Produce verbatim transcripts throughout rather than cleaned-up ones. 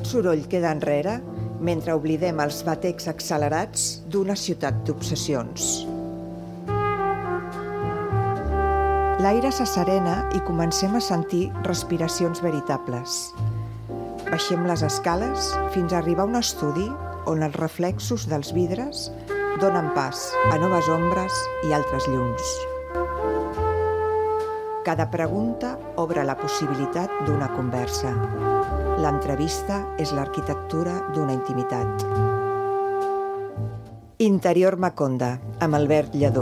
Tot soroll queda enrere mentre oblidem els batecs accelerats d'una ciutat d'obsessions. L'aire s'asserena i comencem a sentir respiracions veritables. Baixem les escales fins a arribar a un estudi on els reflexos dels vidres donen pas a noves ombres i altres llums. Cada pregunta obre la possibilitat d'una conversa. L'entrevista és l'arquitectura d'una intimitat. Interior Maconda, amb Albert Lledó.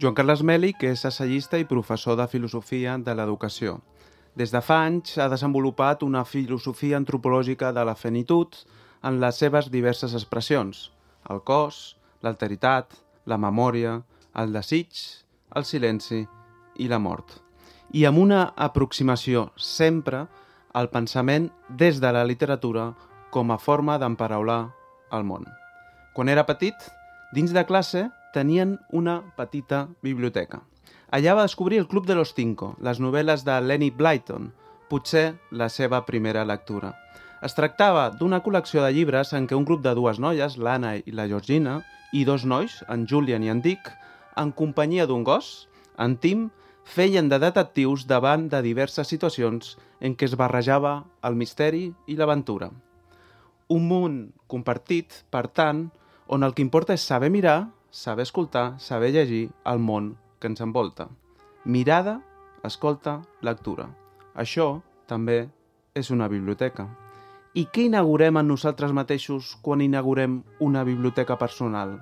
Joan Carles Mèlich és assagista i professor de filosofia de l'educació. Des de fa anys ha desenvolupat una filosofia antropològica de la finitud en les seves diverses expressions: el cos, l'alteritat, la memòria, el desig, el silenci i la mort. I amb una aproximació sempre al pensament des de la literatura com a forma d'emparaular el món. Quan era petit, dins de classe tenien una petita biblioteca. Allà va descobrir el Club de los Cinco, les novel·les de Lenny Blyton, potser la seva primera lectura. Es tractava d'una col·lecció de llibres en què un grup de dues noies, l'Anna i la Georgina, i dos nois, en Julian i en Dick, en companyia d'un gos, en Tim, feien de detectius davant de diverses situacions en què es barrejava el misteri i l'aventura. Un món compartit, per tant, on el que importa és saber mirar, saber escoltar, saber llegir el món que ens envolta. Mirada, escolta, lectura. Això també és una biblioteca. I què inaugurem en nosaltres mateixos quan inaugurem una biblioteca personal?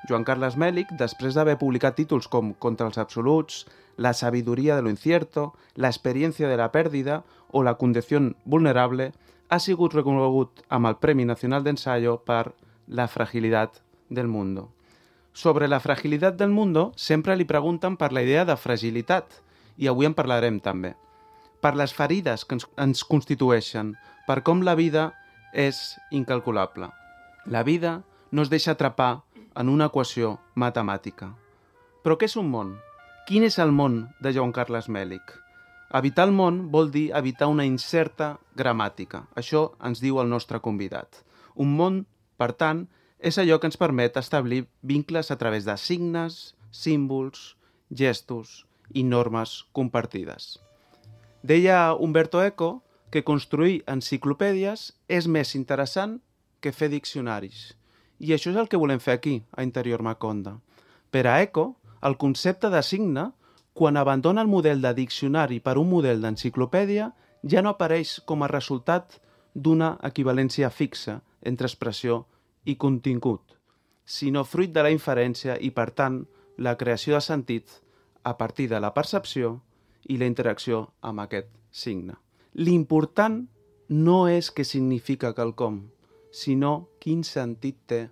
Joan Carles Mèlich, després d'haver publicat títols com Contra els absoluts, La sabiduría de lo incierto, La experiencia de la pérdida o La condición vulnerable, ha sigut reconegut amb el Premi Nacional d'Ensayo per La fragilitat del mundo. Sobre la fragilitat del mundo sempre li pregunten per la idea de fragilitat, i avui en parlarem també. Per les ferides que ens, ens constitueixen, per com la vida és incalculable. La vida no es deixa atrapar en una equació matemàtica. Però què és un món? Quin és el món de Joan Carles Mèlich? Habitar el món vol dir habitar una incerta gramàtica. Això ens diu el nostre convidat. Un món, per tant, és allò que ens permet establir vincles a través de signes, símbols, gestos i normes compartides. Deia Umberto Eco que construir enciclopèdies és més interessant que fer diccionaris. I això és el que volem fer aquí, a Interior Maconda. Per a Eco, el concepte de signe, quan abandona el model de diccionari per un model d'enciclopèdia, ja no apareix com a resultat d'una equivalència fixa entre expressió i contingut, sinó fruit de la inferència i, per tant, la creació de sentit a partir de la percepció i la interacció amb aquest signe. L'important no és què significa quelcom, sinó quin sentit té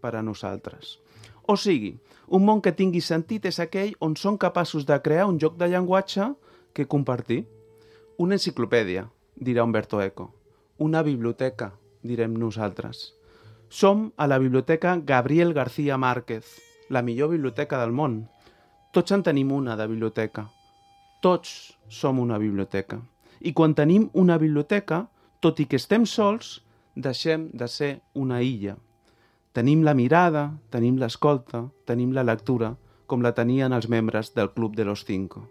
per a nosaltres. O sigui, un món que tingui sentit és aquell on som capaços de crear un joc de llenguatge que compartir. Una enciclopèdia, dirà Umberto Eco. Una biblioteca, direm nosaltres. Som a la biblioteca Gabriel García Márquez, la millor biblioteca del món. Tots en tenim una de biblioteca. Tots som una biblioteca. I quan tenim una biblioteca, tot i que estem sols, deixem de ser una illa. Tenim la mirada, tenim l'escolta, tenim la lectura, com la tenien els membres del Club de los Cinco.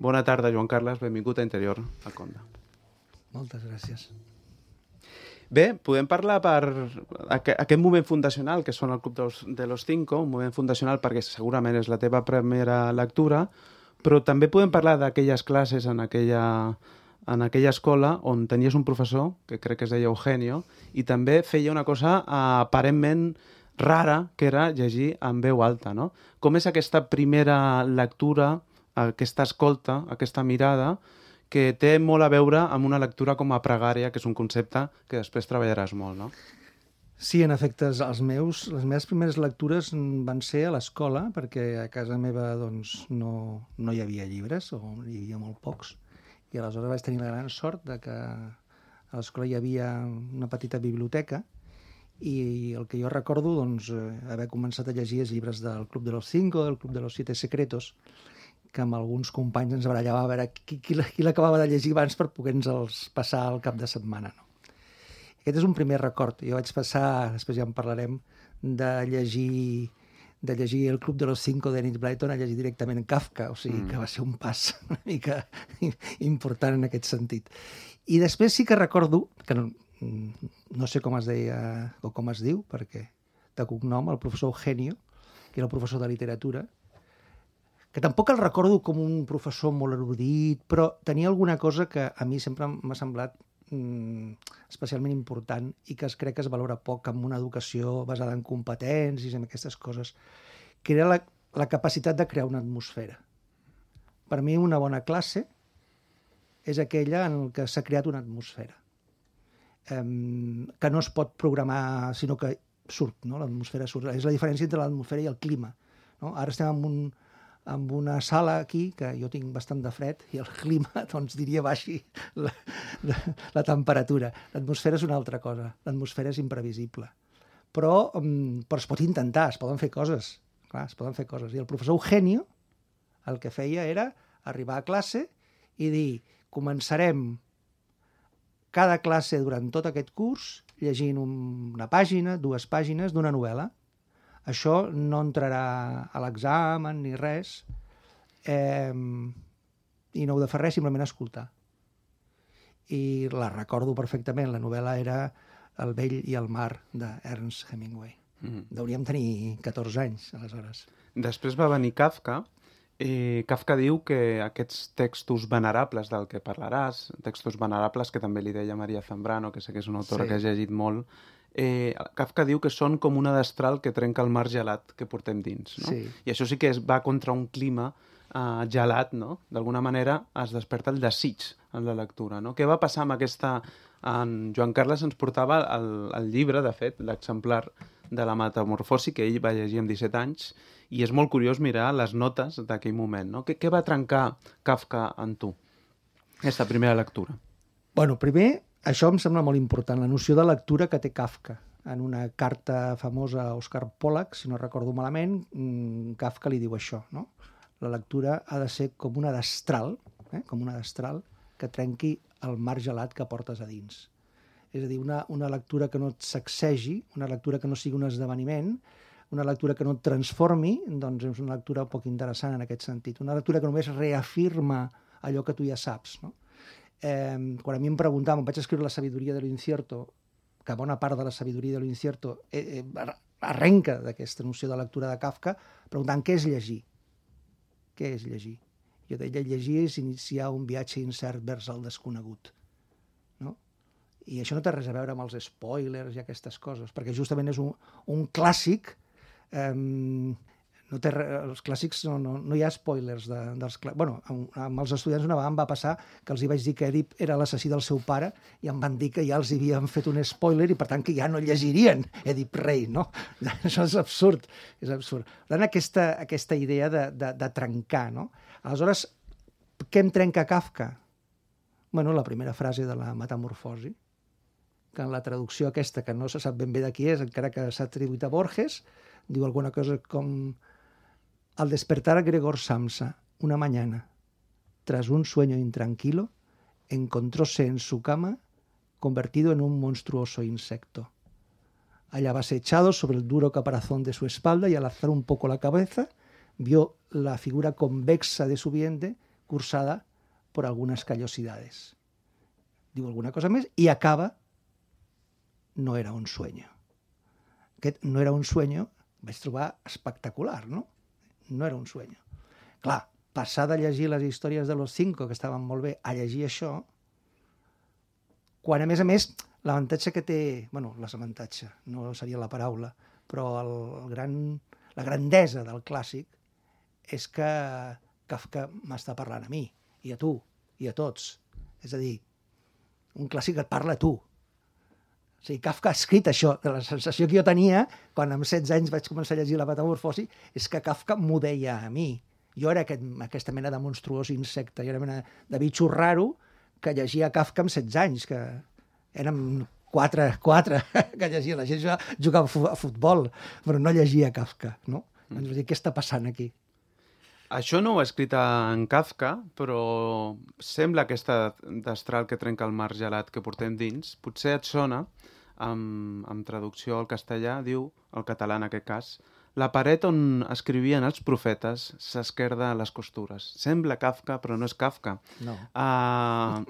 Bona tarda, Joan Carles, benvingut a Interior Maconda. Moltes gràcies. Bé, podem parlar per aquest moment fundacional que són el Club de los, de los Cinco, un moment fundacional perquè segurament és la teva primera lectura, però també podem parlar d'aquelles classes en aquella, en aquella escola on tenies un professor, que crec que es deia Eugenio, i també feia una cosa aparentment rara, que era llegir en veu alta, no? Com és aquesta primera lectura, aquesta escolta, aquesta mirada, que té molt a veure amb una lectura com a pregària, que és un concepte que després treballaràs molt, no? Sí, en efecte, els meus, les meves primeres lectures van ser a l'escola, perquè a casa meva doncs, no, no hi havia llibres, o hi havia molt pocs, i aleshores vaig tenir la gran sort de que a l'escola hi havia una petita biblioteca, i el que jo recordo, doncs, haver començat a llegir els llibres del Club de los Cinco, del Club de los Siete Secretos, que amb alguns companys ens barallava a veure qui, qui, qui l'acabava de llegir abans per poder-nos passar el cap de setmana. No? Aquest és un primer record. Jo vaig passar, després ja en parlarem, de llegir, de llegir El club de los cinco de Enid Blyton a llegir directament Kafka, o sigui mm. que va ser un pas una mica important en aquest sentit. I després sí que recordo, que no, no sé com es deia o com es diu, perquè de cognom, el professor Eugenio, que era el professor de literatura, que tampoc el recordo com un professor molt erudit, però tenia alguna cosa que a mi sempre m'ha semblat mm, especialment important i que es crec que es valora poc amb una educació basada en competències i en aquestes coses, que era la, la capacitat de crear una atmosfera. Per mi una bona classe és aquella en què s'ha creat una atmosfera, um, que no es pot programar, sinó que surt, no? L'atmosfera surt. És la diferència entre l'atmosfera i el clima. No? Ara estem en un amb una sala aquí, que jo tinc bastant de fred, i el clima, doncs, diria, baixi la, la, la temperatura. L'atmosfera és una altra cosa. L'atmosfera és imprevisible. Però, um, però es pot intentar, es poden fer coses. Clar, es poden fer coses. I el professor Eugenio el que feia era arribar a classe i dir, començarem cada classe durant tot aquest curs llegint una pàgina, dues pàgines d'una novel·la. Això no entrarà a l'examen ni res, eh, i no heu de fer res, simplement escoltar. I la recordo perfectament, la novel·la era El vell i el mar, d'Ernest Hemingway. Mm. Hauríem tenir catorze anys, aleshores. Després va venir Kafka. Eh, Kafka diu que aquests textos venerables del que parlaràs, textos venerables que també li deia Maria Zambrano, que sé que és una autora sí. que has llegit molt, Eh, Kafka diu que són com una destral que trenca el mar gelat que portem dins, no? Sí. I això sí que es va contra un clima eh, gelat, no? D'alguna manera es desperta el desig en la lectura, no? Què va passar amb aquesta... En Joan Carles ens portava el, el llibre, de fet, l'exemplar de la Metamorfosi, que ell va llegir amb disset anys, i és molt curiós mirar les notes d'aquell moment, no? Què, què va trencar Kafka en tu, aquesta primera lectura? Bueno, primer... Això em sembla molt important, la noció de lectura que té Kafka. En una carta famosa a Oscar Pollock, si no recordo malament, Kafka li diu això, no? La lectura ha de ser com una destral, eh? com una destral que trenqui el mar gelat que portes a dins. És a dir, una, una lectura que no et sacsegi, una lectura que no sigui un esdeveniment, una lectura que no et transformi, doncs és una lectura poc interessant en aquest sentit. Una lectura que només reafirma allò que tu ja saps, no? Eh, quan a mi em preguntaven, vaig escriure La sabiduria de lo incierto, que bona part de la sabiduria de lo incierto eh, eh, arrenca d'aquesta noció de lectura de Kafka, preguntant què és llegir? Què és llegir? Jo deia, llegir és iniciar un viatge incert vers el desconegut. No? I això no té res a veure amb els spoilers i aquestes coses, perquè justament és un, un clàssic... Eh, No té, els clàssics no, no, no hi ha spoilers de, dels clàssics. Bueno, amb, amb els estudiants una vegada em va passar que els hi vaig dir que Èdip era l'assassí del seu pare i em van dir que ja els havien fet un spoiler i per tant que ja no llegirien Èdip rei, no? Això és absurd, és absurd. Per tant, aquesta, aquesta idea de, de, de trencar, no? Aleshores, què em trenca Kafka? Bueno, la primera frase de la Metamorfosi, que en la traducció aquesta, que no se sap ben bé de qui és, encara que s'ha atribuït a Borges, diu alguna cosa com... Al despertar a Gregor Samsa una mañana, tras un sueño intranquilo, encontróse en su cama convertido en un monstruoso insecto. Hallábase echado sobre el duro caparazón de su espalda y al alzar un poco la cabeza, vio la figura convexa de su vientre cursada por algunas callosidades. Diu alguna cosa més i acaba, no era un sueño. Aquest no era un sueño, vaig trobar espectacular, no? No era un sueño. Clar, passar de llegir les històries de los cinco, que estaven molt bé, a llegir això, quan a més a més l'avantatge que té, bueno, l'avantatge, no seria la paraula, però el, el gran, la grandesa del clàssic és que Kafka m'està parlant a mi, i a tu, i a tots. És a dir, un clàssic et parla a tu. O sigui, Kafka ha escrit això. La sensació que jo tenia, quan amb setze anys vaig començar a llegir La Metamorfosi, és que Kafka m'ho deia a mi. Jo era aquest, aquesta mena de monstruós insecte, jo era mena de bitxo raro que llegia Kafka amb setze anys, que érem quatre, quatre que llegia. La gent jugava a futbol, però no llegia Kafka, no? Mm. Ens va dir, què està passant aquí? Això no ho ha escrit en Kafka, però sembla aquesta destral que trenca el mar gelat que portem dins. Potser et sona, amb, amb traducció al castellà, diu, el català en aquest cas, la paret on escrivien els profetes s'esquerda a les costures. Sembla Kafka, però no és Kafka. No. Uh,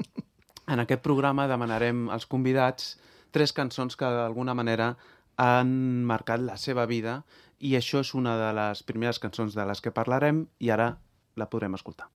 en aquest programa demanarem als convidats tres cançons que d'alguna manera han marcat la seva vida i això és una de les primeres cançons de les que parlarem i ara la podrem escoltar.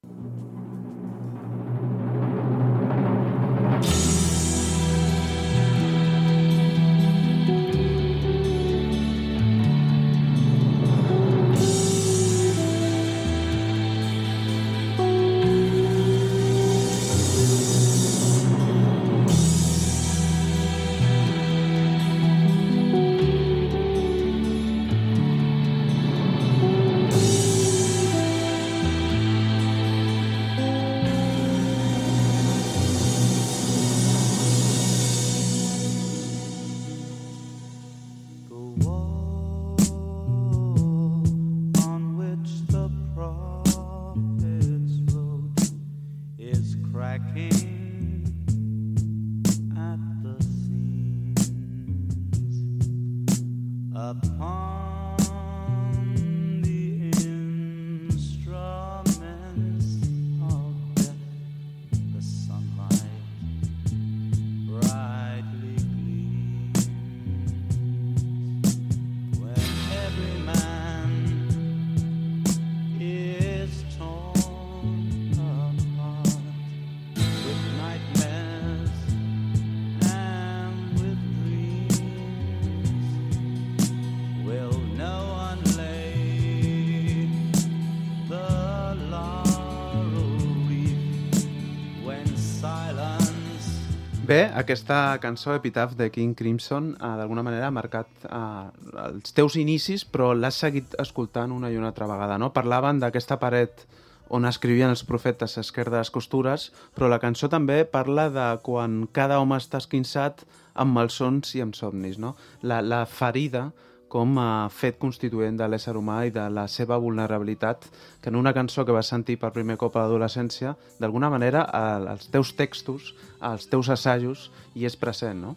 Bé, aquesta cançó, Epitaph de King Crimson, eh, d'alguna manera ha marcat eh, els teus inicis, però l'has seguit escoltant una i una altra vegada, no? Parlaven d'aquesta paret on escrivien els profetes a esquerda de les costures, però la cançó també parla de quan cada home està esquinçat amb malsons i amb somnis, no? La, la ferida com a fet constituent de l'ésser humà i de la seva vulnerabilitat, que en una cançó que vas sentir per primer cop a l'adolescència, d'alguna manera, als teus textos, als teus assajos, hi és present, no?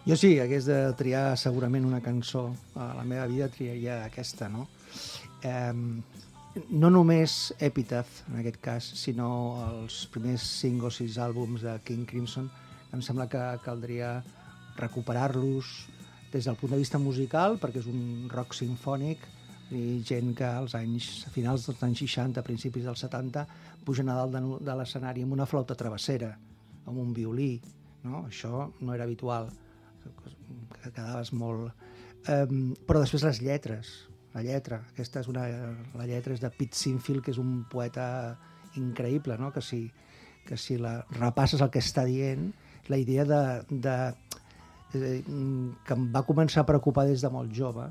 Jo sí, hagués de triar segurament una cançó. A la meva vida triaria aquesta, no? Eh, no només Epitaph, en aquest cas, sinó els primers cinc o sis àlbums de King Crimson, em sembla que caldria recuperar-los des del punt de vista musical, perquè és un rock sinfònic i gent que als anys, a finals dels anys seixanta, principis dels setanta, pugen a dalt de, de l'escenari amb una flauta travessera, amb un violí, no? Això no era habitual, que quedaves molt... Um, però després les lletres, la lletra, aquesta és una... La lletra és de Pete Sinfield, que és un poeta increïble, no? Que si, que si la repasses el que està dient, la idea de... de que em va començar a preocupar des de molt jove,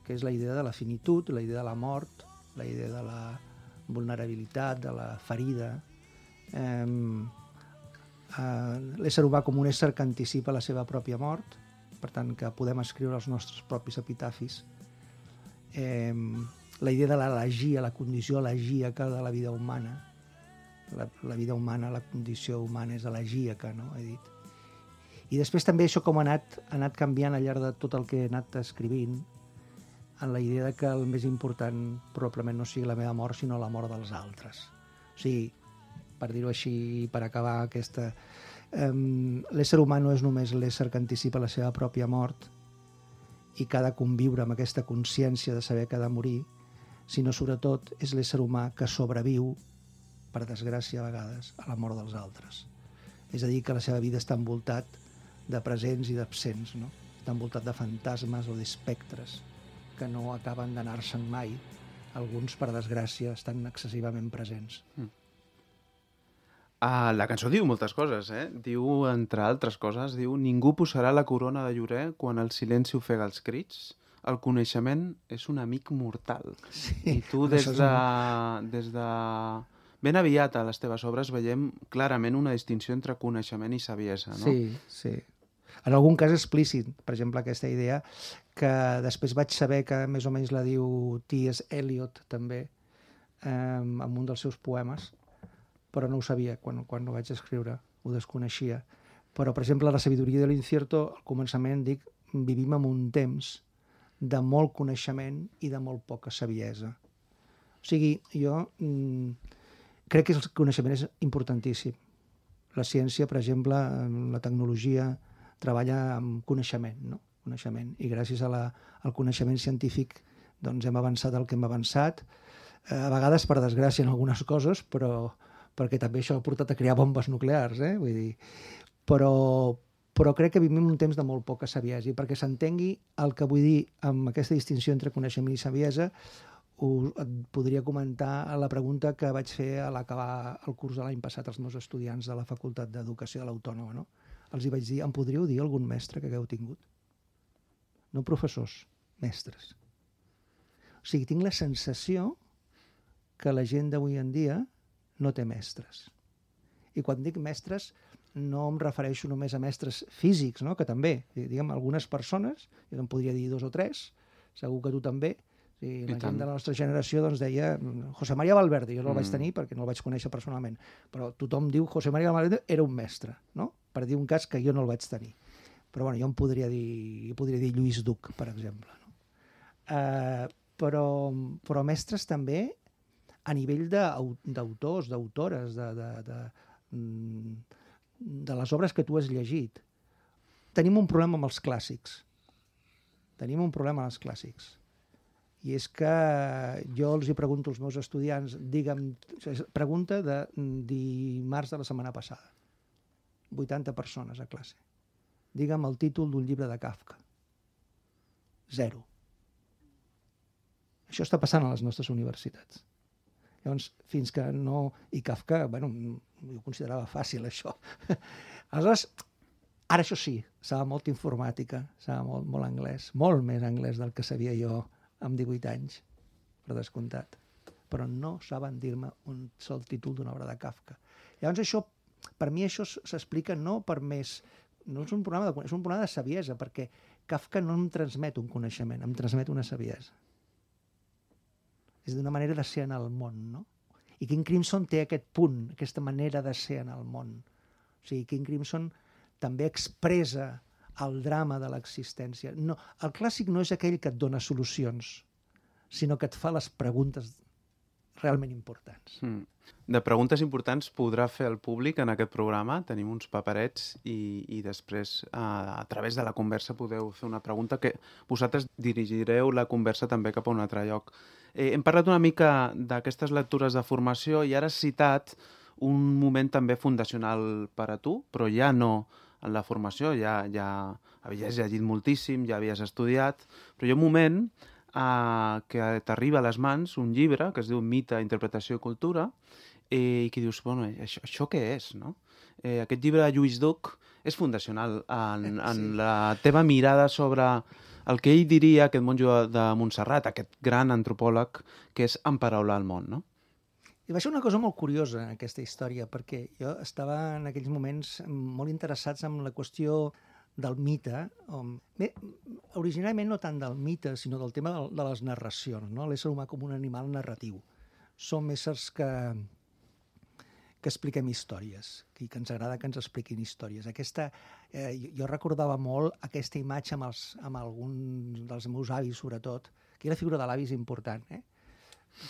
que és la idea de la finitud, la idea de la mort, la idea de la vulnerabilitat, de la ferida. Eh, eh, l'ésser humà com un ésser que anticipa la seva pròpia mort, per tant que podem escriure els nostres propis epitafis. Eh, la idea de l'elegia, la condició elegíaca de la vida humana. La, la vida humana, la condició humana és elegíaca, no? He dit. I després també això com ha anat, ha anat canviant al llarg de tot el que he anat escrivint, en la idea de que el més important probablement no sigui la meva mort, sinó la mort dels altres. O sigui, per dir-ho així, per acabar aquesta... Um, l'ésser humà no és només l'ésser que anticipa la seva pròpia mort i que ha de conviure amb aquesta consciència de saber que ha de morir, sinó sobretot és l'ésser humà que sobreviu, per desgràcia a vegades, a la mort dels altres. És a dir, que la seva vida està envoltat de presents i d'absents, no? Està envoltat de fantasmes o d'espectres que no acaben d'anar-se'n mai. Alguns, per desgràcia, estan excessivament presents. Mm. Ah, la cançó diu moltes coses, eh? Diu, entre altres coses, diu ningú posarà la corona de llorer quan el silenci ofega els crits. El coneixement és un amic mortal. Sí, I tu des de, des de... Ben aviat a les teves obres veiem clarament una distinció entre coneixement i saviesa, no? Sí, sí. En algun cas explícit, per exemple, aquesta idea que després vaig saber que més o menys la diu T S Eliot també, eh, amb un dels seus poemes, però no ho sabia quan, quan ho vaig escriure, ho desconeixia. Però, per exemple, la sabidoria de l'incierto, al començament dic, vivim en un temps de molt coneixement i de molt poca saviesa. O sigui, jo mm, crec que el coneixement és importantíssim. La ciència, per exemple, la tecnologia treballa amb coneixement, no? Coneixement. I gràcies a la, al coneixement científic doncs hem avançat el que hem avançat, eh, a vegades per desgràcia en algunes coses, però perquè també això ha portat a crear bombes nuclears, eh? Vull dir, però, però crec que vivim un temps de molt poca saviesa, i perquè s'entengui el que vull dir amb aquesta distinció entre coneixement i saviesa, us, et podria comentar la pregunta que vaig fer a l'acabar el curs de l'any passat als meus estudiants de la Facultat d'Educació de l'Autònoma, no? Els hi vaig dir, em podríeu dir algun mestre que hagueu tingut? No professors, mestres. O sigui, tinc la sensació que la gent d'avui en dia no té mestres. I quan dic mestres, no em refereixo només a mestres físics, no? Que també, diguem, algunes persones, jo em podria dir dos o tres, segur que tu també, i la I gent tant. De la nostra generació doncs, deia José María Valverde, jo no el mm. vaig tenir perquè no el vaig conèixer personalment, però tothom diu José María Valverde era un mestre, no? Per dir un cas que jo no el vaig tenir. Però bueno, jo em podria dir, jo podria dir Lluís Duc, per exemple. No? Uh, però, però mestres també a nivell d'autors, d'autores, de, de, de, de les obres que tu has llegit. Tenim un problema amb els clàssics. Tenim un problema amb els clàssics. I és que jo els hi pregunto als meus estudiants, digue'm, pregunta de dimarts de la setmana passada. vuitanta persones a classe. Digue'm el títol d'un llibre de Kafka. Zero. Això està passant a les nostres universitats. Llavors, fins que no... I Kafka, bueno, jo considerava fàcil, això. Aleshores, ara això sí, sabia molta informàtica, sabia molt, molt anglès, molt més anglès del que sabia jo amb divuit anys, per descomptat. Però no saben dir-me un sol títol d'una obra de Kafka. Llavors, això, per mi això s'explica no per més... No és un problema de, és un problema de saviesa, perquè Kafka no em transmet un coneixement, em transmet una saviesa. És d'una manera de ser en el món, no? I King Crimson té aquest punt, aquesta manera de ser en el món. O sigui, King Crimson també expressa el drama de l'existència. No, el clàssic no és aquell que et dona solucions, sinó que et fa les preguntes realment importants. Mm. De preguntes importants podrà fer el públic en aquest programa. Tenim uns paperets i, i després a, a través de la conversa podeu fer una pregunta que vosaltres dirigireu la conversa també cap a un altre lloc. Eh, hem parlat una mica d'aquestes lectures de formació i ara has citat un moment també fundacional per a tu, però ja no en la formació, ja, ja havies llegit moltíssim, ja havies estudiat, però hi ha un moment Uh, que t'arriba a les mans un llibre que es diu Mite, Interpretació i Cultura eh, i que dius, bueno, això, això què és, no? Eh, aquest llibre de Lluís Duc és fundacional en, en sí. la teva mirada sobre el que ell diria, aquest monjo de Montserrat, aquest gran antropòleg que és emparaular el món, no? I va ser una cosa molt curiosa, aquesta història, perquè jo estava en aquells moments molt interessats en la qüestió del mite, bé, originalment no tant del mite, sinó del tema de les narracions, no? L'ésser humà com un animal narratiu. Som éssers que, que expliquem històries, i que ens agrada que ens expliquin històries. Aquesta, eh, jo recordava molt aquesta imatge amb, els, amb alguns dels meus avis, sobretot, que la figura de l'avi és important, eh?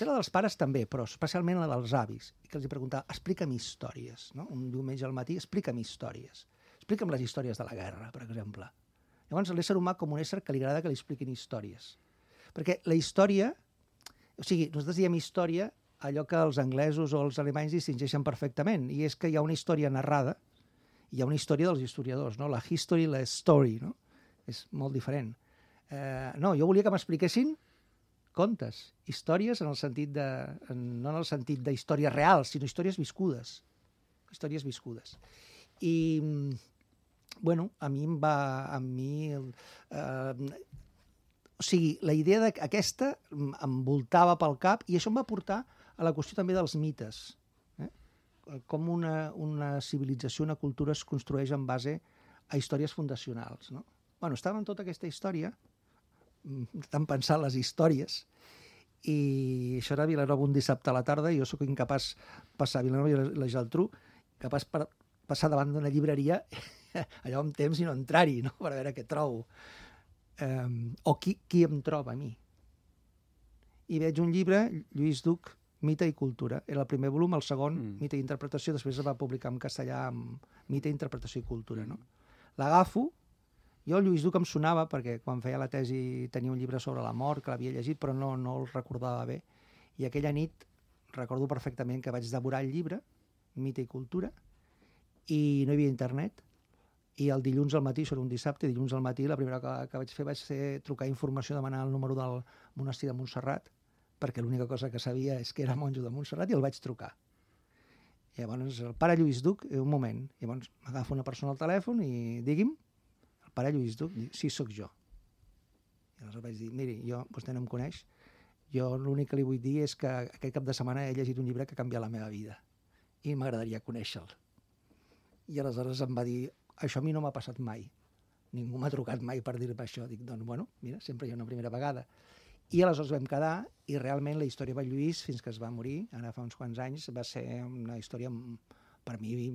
La dels pares també, però especialment la dels avis, i que els preguntava, explica'm històries, no? Un diumenge al matí, explica'm històries. Explica'm les històries de la guerra, per exemple. Llavors, l'ésser humà com un ésser que li agrada que li expliquin històries. Perquè la història... O sigui, nosaltres diem història allò que els anglesos o els alemanys distingeixen perfectament, i és que hi ha una història narrada i hi ha una història dels historiadors, no? La history i la story, no? És molt diferent. Eh, no, jo volia que m'expliquessin contes, històries en el sentit de... no en el sentit d'històries reals, sinó històries viscudes. Històries viscudes. I... bueno, a mi em va... A mi... Eh, o sigui, la idea d'aquesta em voltava pel cap i això em va portar a la qüestió també dels mites. Eh? Com una, una civilització, una cultura es construeix en base a històries fundacionals. No? Bueno, estava en tota aquesta història, tan pensant les històries, i això era a Vilanova un dissabte a la tarda, i jo sóc incapaç de passar a Vilanova i la Geltrú, capaç per passar davant d'una llibreria allò amb temps i no entrar-hi, no? Per veure què trobo. Um, o qui, qui em troba a mi. I veig un llibre, Lluís Duc, Mite i cultura. Era el primer volum, el segon, mm. Mite i interpretació, després es va publicar en castellà amb Mite, interpretació i cultura. No? L'agafo, jo Lluís Duc em sonava, perquè quan feia la tesi tenia un llibre sobre la mort, que l'havia llegit, però no, no el recordava bé. I aquella nit recordo perfectament que vaig devorar el llibre, Mite i cultura, i no hi havia internet, i el dilluns al matí, això era un dissabte, dilluns al matí la primera cosa que vaig fer vaig ser trucar informació, demanar el número del monestir de Montserrat, perquè l'única cosa que sabia és que era monjo de Montserrat, i el vaig trucar. I llavors, el pare Lluís Duc, un moment, llavors m'agafa una persona al telèfon i digui'm, el pare Lluís Duc, dic, sí, sóc jo. I aleshores vaig dir, miri, jo, vostè no em coneix, jo l'únic que li vull dir és que aquest cap de setmana he llegit un llibre que ha canviat la meva vida i m'agradaria conèixer-lo. I aleshores em va dir, això a mi no m'ha passat mai. Ningú m'ha trucat mai per dir-me això. Dic, doncs, bueno, mira, sempre hi ha una primera vegada. I aleshores vam quedar, i realment la història de Lluís, fins que es va morir, ara fa uns quants anys, va ser una història, per mi,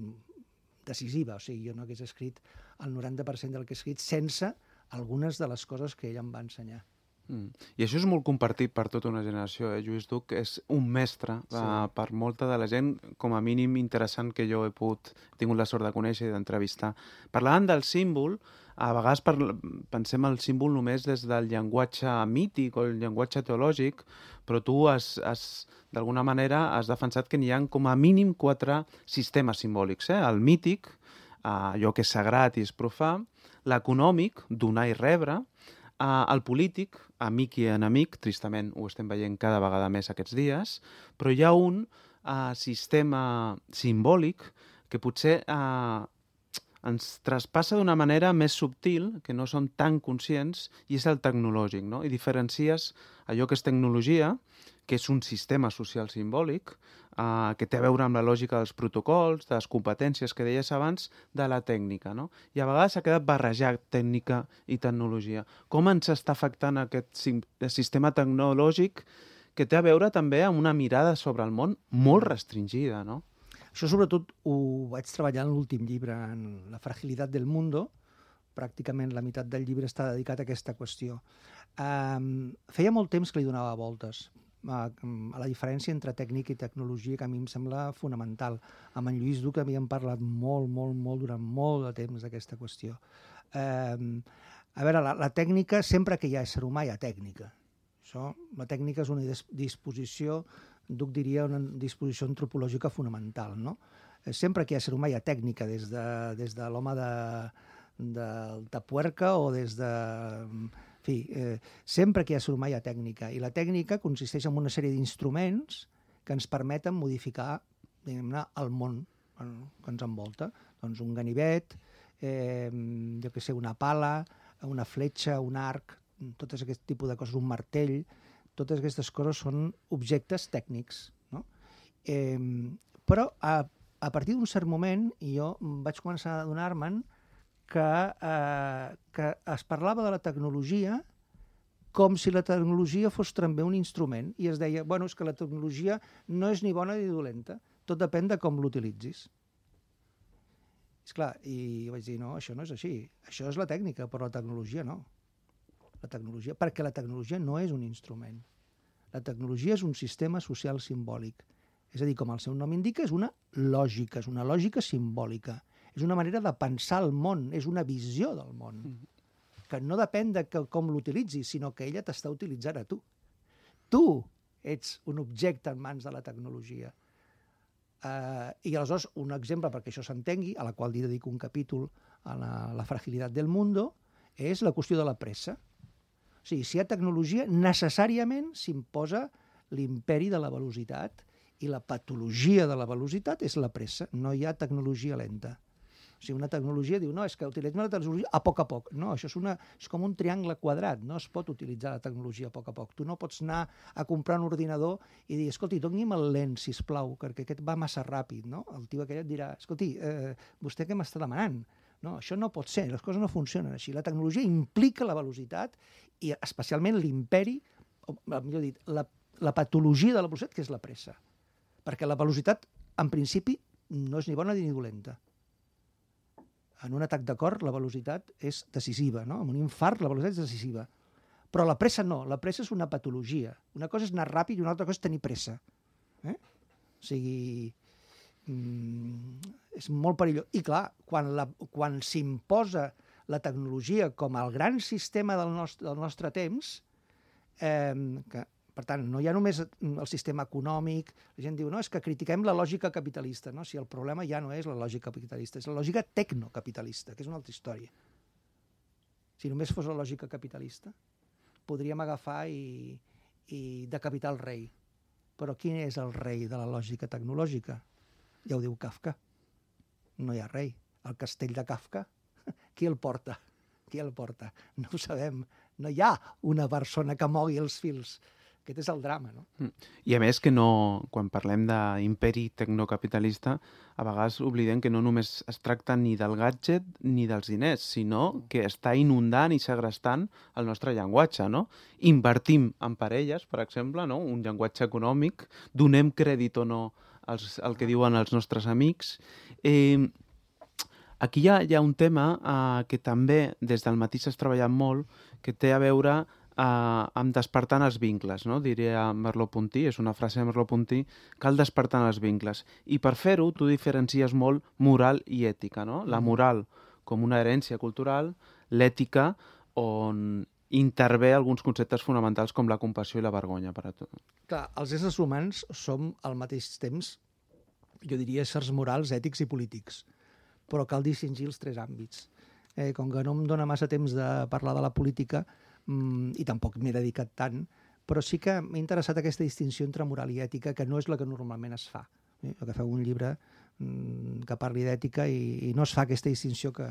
decisiva. O sigui, jo no hagués escrit el noranta per cent del que he escrit sense algunes de les coses que ell em va ensenyar. Mm. I això és molt compartit per tota una generació. Eh? Lluís Duc és un mestre sí. uh, per molta de la gent, com a mínim interessant que jo he pogut, he tingut la sort de conèixer i d'entrevistar. Parlant del símbol, a vegades per, pensem el símbol només des del llenguatge mític o el llenguatge teològic, però tu has, has d'alguna manera has defensat que n'hi ha com a mínim quatre sistemes simbòlics. Eh? El mític, uh, allò que és sagrat i és profà, l'econòmic, donar i rebre, Uh, el polític, amic i enemic, tristament ho estem veient cada vegada més aquests dies, però hi ha un uh, sistema simbòlic que potser uh, ens traspassa d'una manera més subtil, que no som tan conscients, i és el tecnològic, no? I diferencies allò que és tecnologia, que és un sistema social simbòlic, uh, que té a veure amb la lògica dels protocols, de les competències que deies abans, de la tècnica, no? I a vegades s'ha quedat barrejat tècnica i tecnologia. Com ens està afectant aquest sistema tecnològic que té a veure també amb una mirada sobre el món molt restringida, no? Això sobretot ho vaig treballar en l'últim llibre, en La fragilitat del mundo. Pràcticament la meitat del llibre està dedicat a aquesta qüestió. Um, feia molt temps que li donava voltes a, a la diferència entre tècnica i tecnologia, que a mi em sembla fonamental. Amb en Lluís Duc havíem parlat molt, molt, molt, durant molt de temps d'aquesta qüestió. Um, a veure, la, la tècnica, sempre que hi ha ésser humà hi ha tècnica. Això, la tècnica és una disposició, Duc diria, una disposició antropològica fonamental, no? Sempre que hi ha ésser humà hi ha tècnica, des de, des de l'home de, de Tapuerca o des de... En fi, eh, sempre que hi ha ésser humà hi ha tècnica, i la tècnica consisteix en una sèrie d'instruments que ens permeten modificar, diguem-ne, el món que ens envolta. Doncs un ganivet, eh, jo què sé, una pala, una fletxa, un arc, tot aquest tipus de coses, un martell, totes aquestes coses són objectes tècnics, no? Eh, però a, a partir d'un cert moment jo vaig començar a adonar-me'n que, eh, que es parlava de la tecnologia com si la tecnologia fos també un instrument, i es deia, bueno, és que la tecnologia no és ni bona ni dolenta, tot depèn de com l'utilitzis. Esclar, i vaig dir, no, això no és així, això és la tècnica, però la tecnologia no. La tecnologia, perquè la tecnologia no és un instrument. La tecnologia és un sistema social simbòlic. És a dir, com el seu nom indica, és una lògica, és una lògica simbòlica. És una manera de pensar el món, és una visió del món, que no depèn de que, com l'utilitzis, sinó que ella t'està utilitzant a tu. Tu ets un objecte en mans de la tecnologia. Uh, I aleshores, un exemple perquè això s'entengui, a la qual li dedico un capítol a la, la fragilitat del mundo, és la qüestió de la pressa. O sigui, si hi ha tecnologia, necessàriament s'imposa l'imperi de la velocitat, i la patologia de la velocitat és la pressa. No hi ha tecnologia lenta. O sigui, una tecnologia diu, no, és que utilitzem la tecnologia a poc a poc. No, això és, una, és com un triangle quadrat, no es pot utilitzar la tecnologia a poc a poc. Tu no pots anar a comprar un ordinador i dir, escolti, doni'm el lent, sisplau, perquè aquest va massa ràpid, no? El tio aquell et dirà, escolti, eh, vostè què m'està demanant? No, això no pot ser, les coses no funcionen així. La tecnologia implica la velocitat i especialment l'imperi, o millor dit, la, la patologia de la velocitat, que és la pressa. Perquè la velocitat, en principi, no és ni bona ni dolenta. En un atac de cor, la velocitat és decisiva, no? En un infart, la velocitat és decisiva. Però la pressa no, la pressa és una patologia. Una cosa és anar ràpid i una altra cosa és tenir pressa. Eh? O sigui, mm, és molt perillós. I clar, quan, la, quan s'imposa la tecnologia com el gran sistema del nostre, del nostre temps, eh, que, per tant, no hi ha només el sistema econòmic, la gent diu, no, és que critiquem la lògica capitalista, no? Si el problema ja no és la lògica capitalista, és la lògica tecnocapitalista, que és una altra història. Si només fos la lògica capitalista, podríem agafar i, i decapitar el rei. Però quin és el rei de la lògica tecnològica? Ja ho diu Kafka. No hi ha rei. El castell de Kafka, qui el porta? Qui el porta? No ho sabem. No hi ha una persona que mogui els fils. Aquest és el drama, no? I a més que no, quan parlem d'imperi tecnocapitalista, a vegades oblidem que no només es tracta ni del gadget ni dels diners, sinó que està inundant i segrestant el nostre llenguatge, no? Invertim en parelles, per exemple, no? Un llenguatge econòmic, donem crèdit o no als, al que diuen els nostres amics. Eh, aquí hi ha, hi ha un tema eh, que també des del matí s'ha treballat molt, que té a veure Uh, amb despertant els vincles, no? Diria Merleau-Ponty, és una frase de Merleau-Ponty, cal despertar els vincles. I per fer-ho, tu diferencies molt moral i ètica, no? La moral com una herència cultural, l'ètica on intervé alguns conceptes fonamentals com la compassió i la vergonya per a tot. Clar, els éssers humans som al mateix temps, jo diria, éssers morals, ètics i polítics, però cal distingir els tres àmbits. Eh, com que no em dóna massa temps de parlar de la política, i tampoc m'he dedicat tant, però sí que m'ha interessat aquesta distinció entre moral i ètica, que no és la que normalment es fa. Eh? Que feu un llibre que parli d'ètica i, i no es fa aquesta distinció que,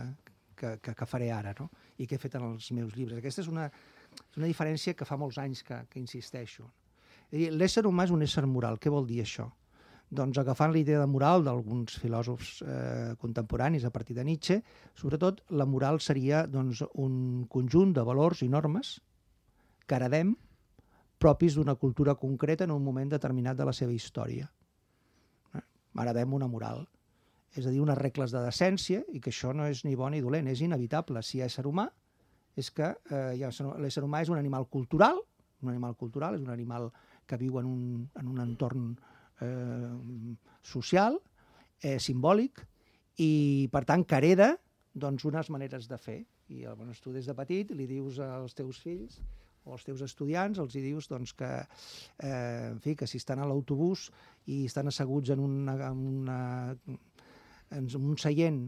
que, que, que faré ara, no? I que he fet en els meus llibres. Aquesta és una, és una diferència que fa molts anys que, que insisteixo. L'ésser humà és un ésser moral. Què vol dir això? Doncs agafant la idea de moral d'alguns filòsofs eh, contemporanis a partir de Nietzsche, sobretot la moral seria doncs, un conjunt de valors i normes que heredem propis d'una cultura concreta en un moment determinat de la seva història. Eh? Heredem una moral, és a dir, unes regles de decència, i que això no és ni bon ni dolent, és inevitable. Si hi ha ésser humà, és que eh, l'ésser humà és un animal cultural, un animal cultural, és un animal que viu en un, en un entorn Eh, social, eh, simbòlic, i per tant que hereda doncs, unes maneres de fer. I doncs, tu des de petit li dius als teus fills o als teus estudiants, els hi dius doncs, que, eh, en fi, que si estan a l'autobús i estan asseguts en, una, en, una, en un seient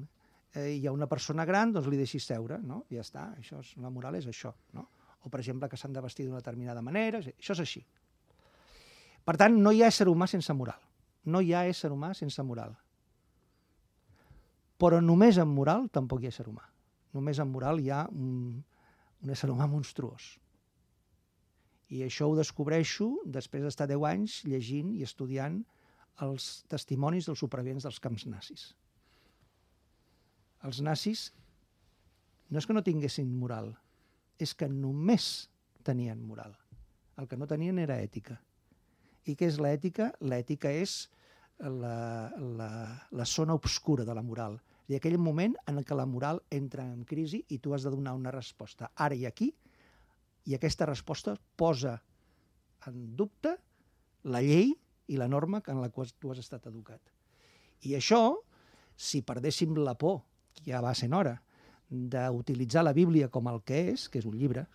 eh, i hi ha una persona gran, doncs li deixis seure, no? I ja està, això és, la moral és això, no? O per exemple que s'han de vestir d'una determinada manera, això és així. Per tant, no hi ha ésser humà sense moral. No hi ha ésser humà sense moral. Però només amb moral tampoc hi ha ésser humà. Només amb moral hi ha un, un ésser humà monstruós. I això ho descobreixo després d'estar deu anys llegint i estudiant els testimonis dels supervivents dels camps nazis. Els nazis no és que no tinguessin moral, és que només tenien moral. El que no tenien era ètica. I què és l'ètica? L'ètica és la, la, la zona obscura de la moral. I aquell moment en què la moral entra en crisi i tu has de donar una resposta ara i aquí, i aquesta resposta posa en dubte la llei i la norma en la qual tu has estat educat. I això, si perdéssim la por, que ja va sent hora, d'utilitzar la Bíblia com el que és, que és un llibre,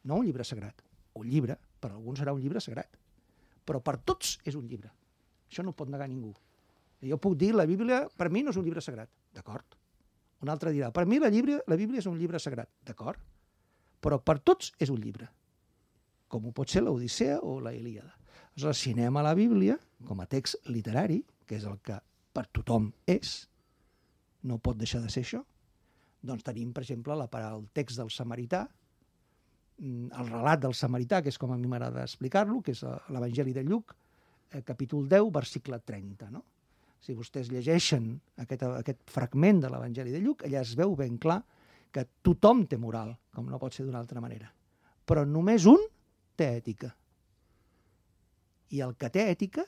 no un llibre sagrat, un llibre, per alguns serà un llibre sagrat, però per tots és un llibre. Això no ho pot negar ningú. Jo puc dir, la Bíblia per mi no és un llibre sagrat, d'acord? Un altre dirà, per mi la Bíblia, la Bíblia és un llibre sagrat, d'acord? Però per tots és un llibre, com ho pot ser l'Odissea o la Ilíada. Aleshores, si anem a la Bíblia, com a text literari, que és el que per tothom és, no pot deixar de ser això, doncs tenim, per exemple, la, el text del samarità, el relat del samarità, que és com a mi m'agrada explicar-lo, que és l'Evangeli de Lluc, capítol deu, versicle trenta. No? Si vostès llegeixen aquest, aquest fragment de l'Evangeli de Lluc, allà es veu ben clar que tothom té moral, com no pot ser d'una altra manera. Però només un té ètica. I el que té ètica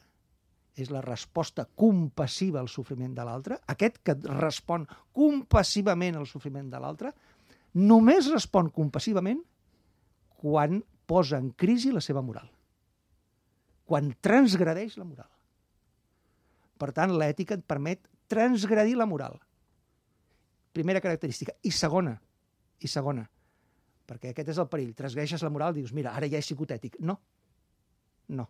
és la resposta compassiva al sofriment de l'altre. Aquest que respon compassivament al sofriment de l'altre només respon compassivament quan posa en crisi la seva moral, quan transgredeix la moral. Per tant, l'ètica et permet transgredir la moral. Primera característica. I segona, i segona, perquè aquest és el perill. Transgreixes la moral, dius, mira, ara ja he sigut ètic. No, no.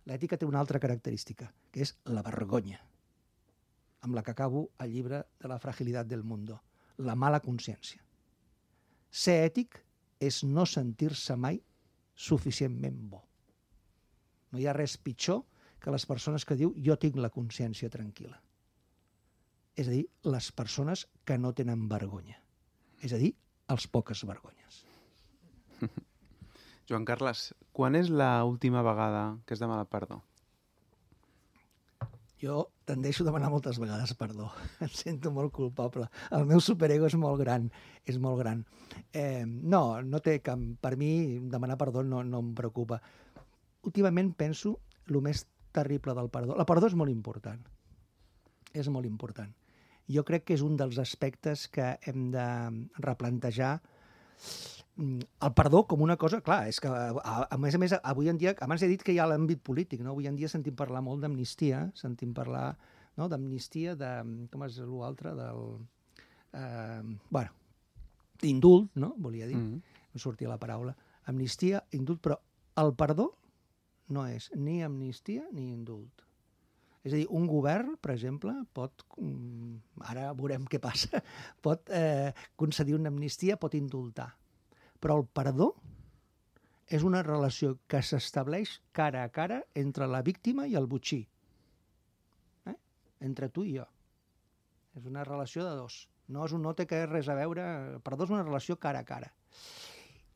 L'ètica té una altra característica, que és la vergonya, amb la que acabo el llibre de la fragilitat del mundo, la mala consciència. Ser ètic és no sentir-se mai suficientment bo. No hi ha res pitjor que les persones que diu jo tinc la consciència tranquil·la. És a dir, les persones que no tenen vergonya. És a dir, els poques vergonyes. Joan Carles, quan és l'última vegada que has demanat perdó? Jo tendeixo a demanar moltes vegades perdó. Em sento molt culpable. El meu superego és molt gran. És molt gran. Eh, no, no té cap... Per mi, demanar perdó no, no em preocupa. Últimament penso el més terrible del perdó. La perdó és molt important. És molt important. Jo crec que és un dels aspectes que hem de replantejar. El perdó com una cosa, clar, és que a, a més a més avui en dia, abans he dit que hi ha l'àmbit polític, no? Avui en dia sentim parlar molt d'amnistia, sentim parlar, no?, d'amnistia, de, com és l'altre, del, eh, bueno, d'indult, no?, volia dir, mm-hmm. no sortia la paraula, amnistia, indult, però el perdó no és ni amnistia ni indult. És a dir, un govern, per exemple, pot, ara veurem què passa, pot eh, concedir una amnistia, pot indultar. Però el perdó és una relació que s'estableix cara a cara entre la víctima i el botxí. Eh? Entre tu i jo. És una relació de dos. No, és un, no té res a veure... El perdó és una relació cara a cara.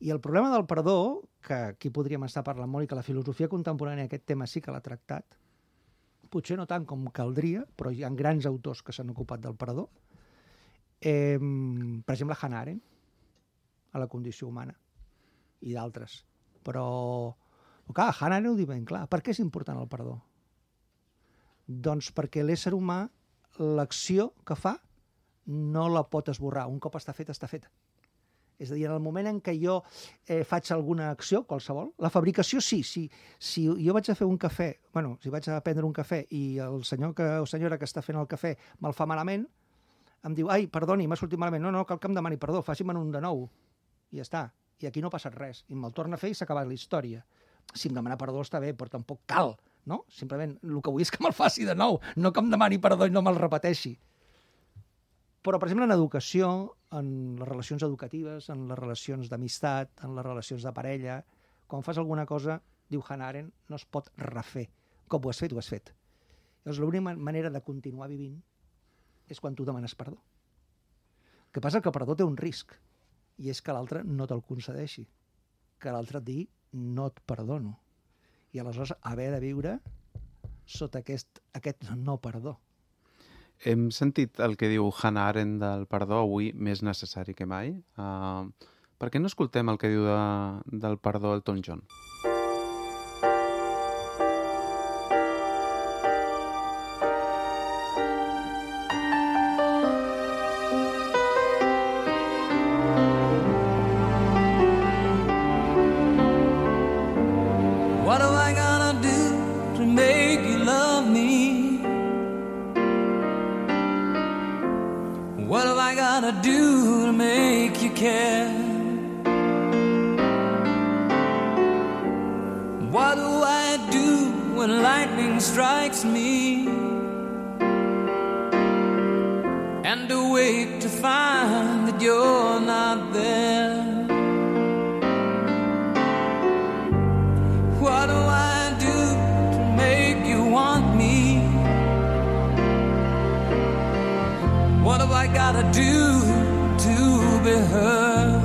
I el problema del perdó, que aquí podríem estar parlant molt i que la filosofia contemporània aquest tema sí que l'ha tractat, potser no tant com caldria, però hi ha grans autors que s'han ocupat del perdó. Eh, per exemple, Hannah Arendt, a la condició humana, i d'altres. Però, clar, Hannah Arendt ho diu ben clar. Per què és important el perdó? Doncs perquè l'ésser humà, l'acció que fa, no la pot esborrar. Un cop està feta, està feta. És a dir, en el moment en què jo eh, faig alguna acció, qualsevol, la fabricació sí, sí. Si jo vaig a fer un cafè, bueno, si vaig a prendre un cafè i el senyor que, o senyora que està fent el cafè me'l fa malament, em diu, ai, perdoni, m'ha sortit malament. No, no, cal que em demani perdó, faci'm un de nou. I ja està. I aquí no ha passat res. I me'l torna a fer i s'ha acabat la història. Si em demana perdó està bé, però tampoc cal, no? Simplement el que vull és que me'l faci de nou, no que em demani perdó i no me'l repeteixi. Però, per exemple, en educació, en les relacions educatives, en les relacions d'amistat, en les relacions de parella, quan fas alguna cosa, diu Hannah Arendt, no es pot refer. Com ho has fet, ho has fet. Llavors, l'única manera de continuar vivint és quan tu demanes perdó. El que passa és que el perdó té un risc, i és que l'altre no te'l concedeixi, que l'altre et digui no et perdono. I aleshores haver de viure sota aquest, aquest no perdó. Hem sentit el que diu Hannah Arendt del perdó avui més necessari que mai. Uh, per què no escoltem el que diu de, del perdó Elton John? Do to make you care? What do I do when lightning strikes me and awake to find that you're not there? What do I do to make you want me? What have I gotta do to be heard?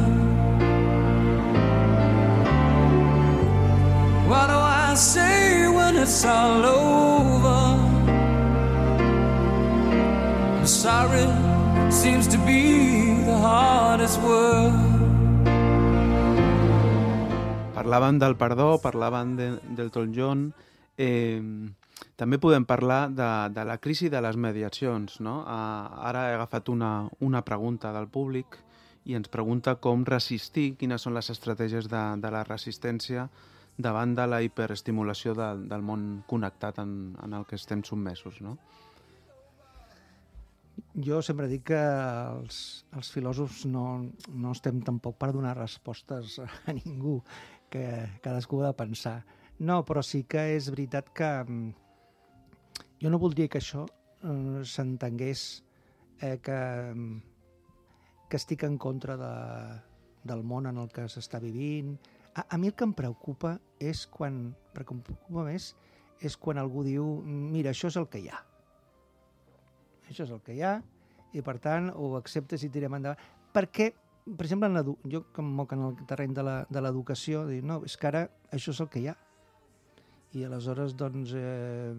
What do I say when it's all over? I'm sorry seems to be the hardest word. Parlàvem del perdó, parlàvem de, del Elton John. Eh, també podem parlar de, de la crisi de les mediacions, no? Uh, ara he agafat una, una pregunta del públic i ens pregunta com resistir, quines són les estratègies de, de la resistència davant de la hiperestimulació de, del món connectat en, en el que estem submesos, no? Jo sempre dic que els, els filòsofs no, no estem tampoc per donar respostes a ningú, que cadascú ha de pensar. No, però sí que és veritat que jo no voldria que això eh, s'entengués eh, que, que estic en contra de, del món en el que s'està vivint. A, a mi el que em preocupa és quan, perquè em preocupa més, és quan algú diu, mira, això és el que hi ha. Això és el que hi ha, i per tant ho acceptes i tirem endavant. Perquè, per exemple, en jo que em moc en el terreny de l'educació, dic, no, és que ara això és el que hi ha. I aleshores, doncs, eh,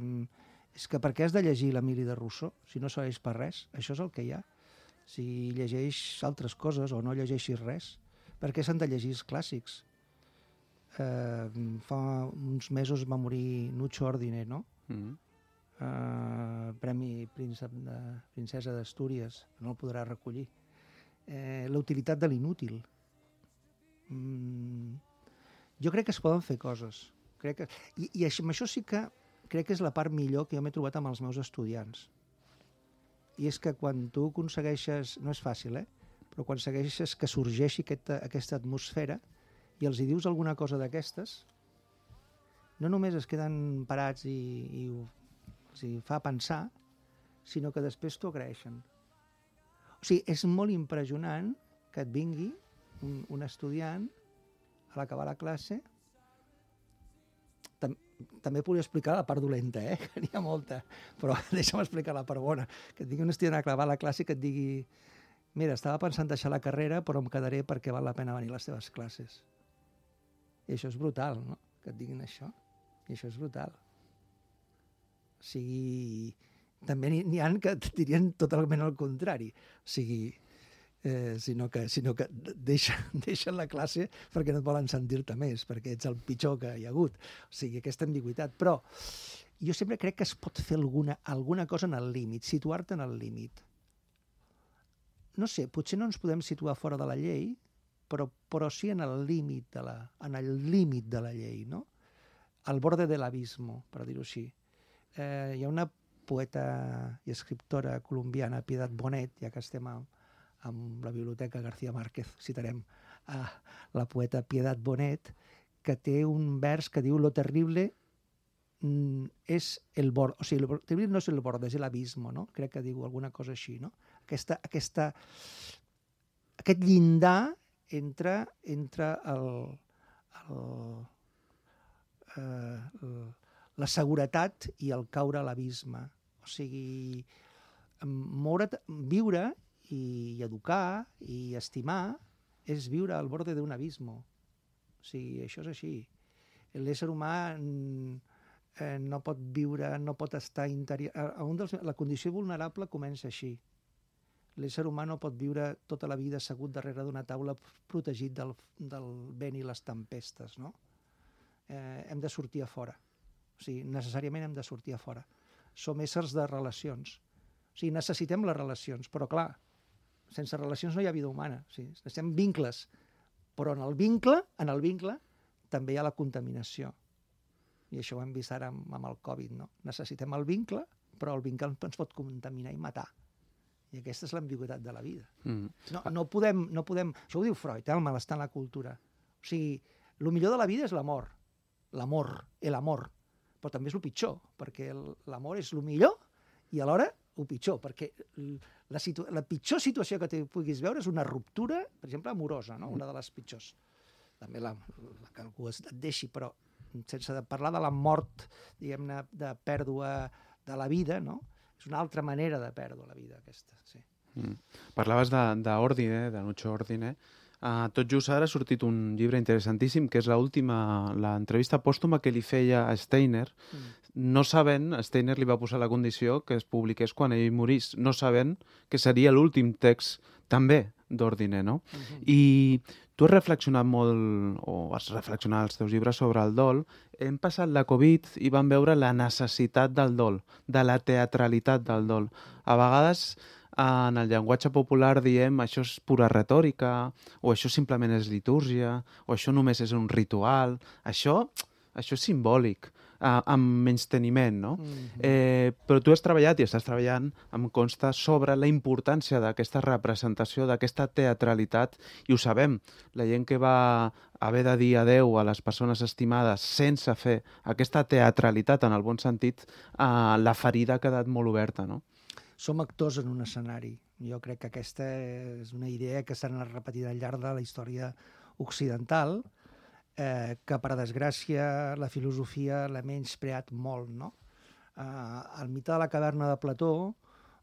és que per què has de llegir l'Emili de Rousseau, si no serveix per res? Això és el que hi ha. Si llegeix altres coses o no llegeixis res, per què s'han de llegir els clàssics? Eh, fa uns mesos va morir Nucho Ordine, no? Mm-hmm. Uh, Premi Príncep de, Princesa d'Astúries, no el podrà recollir. Eh, la utilitat de l'inútil. Mm, jo crec que es poden fer coses. Crec que, i, I això, això sí que crec que és la part millor que jo m'he trobat amb els meus estudiants. I és que quan tu aconsegueixes, no és fàcil, eh? Però quan aconsegueixes que sorgeixi aquesta, aquesta atmosfera i els hi dius alguna cosa d'aquestes, no només es queden parats i, i ho o sigui, fa pensar, sinó que després t'ho agraeixen. O sigui, és molt impressionant que et vingui un, un estudiant a l'acabar la classe. Tam, també podria explicar la part dolenta, eh? Que n'hi ha molta, però deixa'm explicar la part bona. Que et vingui un estudiant a acabar la classe i que et digui, mira, estava pensant deixar la carrera, però em quedaré perquè val la pena venir a les teves classes. I això és brutal, no? Que et diguin això. I això és brutal. O sigui, també n'hi ha que dirien totalment el contrari. O sigui, eh, sinó que, sinó que deixen, deixen la classe perquè no et volen sentir-te més, perquè ets el pitjor que hi ha hagut. O sigui, aquesta ambigüitat. Però jo sempre crec que es pot fer alguna, alguna cosa en el límit, situar-te en el límit. No sé, potser no ens podem situar fora de la llei, però, però sí en el límit de la, en el límit de la llei, no? Al borde de l'abismo, per dir-ho així. Eh, hi ha una poeta i escriptora colombiana, Piedad Bonet, ja que estem amb, amb la Biblioteca García Márquez, citarem a la poeta Piedad Bonet, que té un vers que diu lo terrible mm, és el bord, o sigui, lo terrible no és el bord, és l'abismo, no? Crec que diu alguna cosa així, no? Aquesta, aquesta, aquest llindar entre, entre el, el, eh, el la seguretat i el caure a l'abisme. O sigui, moure, viure i, i educar i estimar és viure al borde d'un abismo. O sigui, això és així. L'ésser humà eh, no pot viure, no pot estar interior... Un dels, la condició vulnerable comença així. L'ésser humà no pot viure tota la vida assegut darrere d'una taula protegit del, del vent i les tempestes, no? Eh, hem de sortir a fora. O sigui, necessàriament hem de sortir a fora. Som éssers de relacions. O sigui, necessitem les relacions, però clar, sense relacions no hi ha vida humana. O sigui, necessitem vincles, però en el vincle, en el vincle, també hi ha la contaminació. I això ho hem vist ara amb, amb el Covid, no? Necessitem el vincle, però el vincle ens pot contaminar i matar. I aquesta és l'ambigüitat de la vida. Mm. No, no podem, no podem... Això ho diu Freud, eh, el malestar en la cultura. O sigui, el millor de la vida és l'amor. L'amor, l'amor. Però també és el pitjor, perquè l'amor és el millor i alhora el pitjor, perquè la, situ la pitjor situació que puguis veure és una ruptura, per exemple, amorosa, no? Una de les pitjors. També la, la que algú et deixi, però sense de parlar de la mort, diguem-ne, de pèrdua de la vida, no? És una altra manera de perdre la vida, aquesta, sí. Mm. Parlaves d'Ordine, de, de Nucho Ordine. Uh, tot just ara ha sortit un llibre interessantíssim, que és l'última, l'entrevista pòstuma que li feia a Steiner, mm. no sabent, Steiner li va posar la condició que es publiqués quan ell morís, no sabent que seria l'últim text també d'Ordine, no? Uh-huh. I tu has reflexionat molt, o has reflexionat als teus llibres sobre el dol. Hem passat la Covid i vam veure la necessitat del dol, de la teatralitat del dol. A vegades, en el llenguatge popular diem això és pura retòrica, o això simplement és litúrgia, o això només és un ritual. Això, això és simbòlic. Uh, amb menysteniment, no? Mm-hmm. Eh, però tu has treballat i estàs treballant, em consta, sobre la importància d'aquesta representació, d'aquesta teatralitat, i ho sabem, la gent que va haver de dir adeu a les persones estimades sense fer aquesta teatralitat, en el bon sentit, uh, la ferida ha quedat molt oberta, no? Som actors en un escenari. Jo crec que aquesta és una idea que s'ha anat repetint al llarg de la història occidental, Eh, que, per desgràcia, la filosofia l'ha menyspreat molt, no? Eh, el mite de la caverna de Plató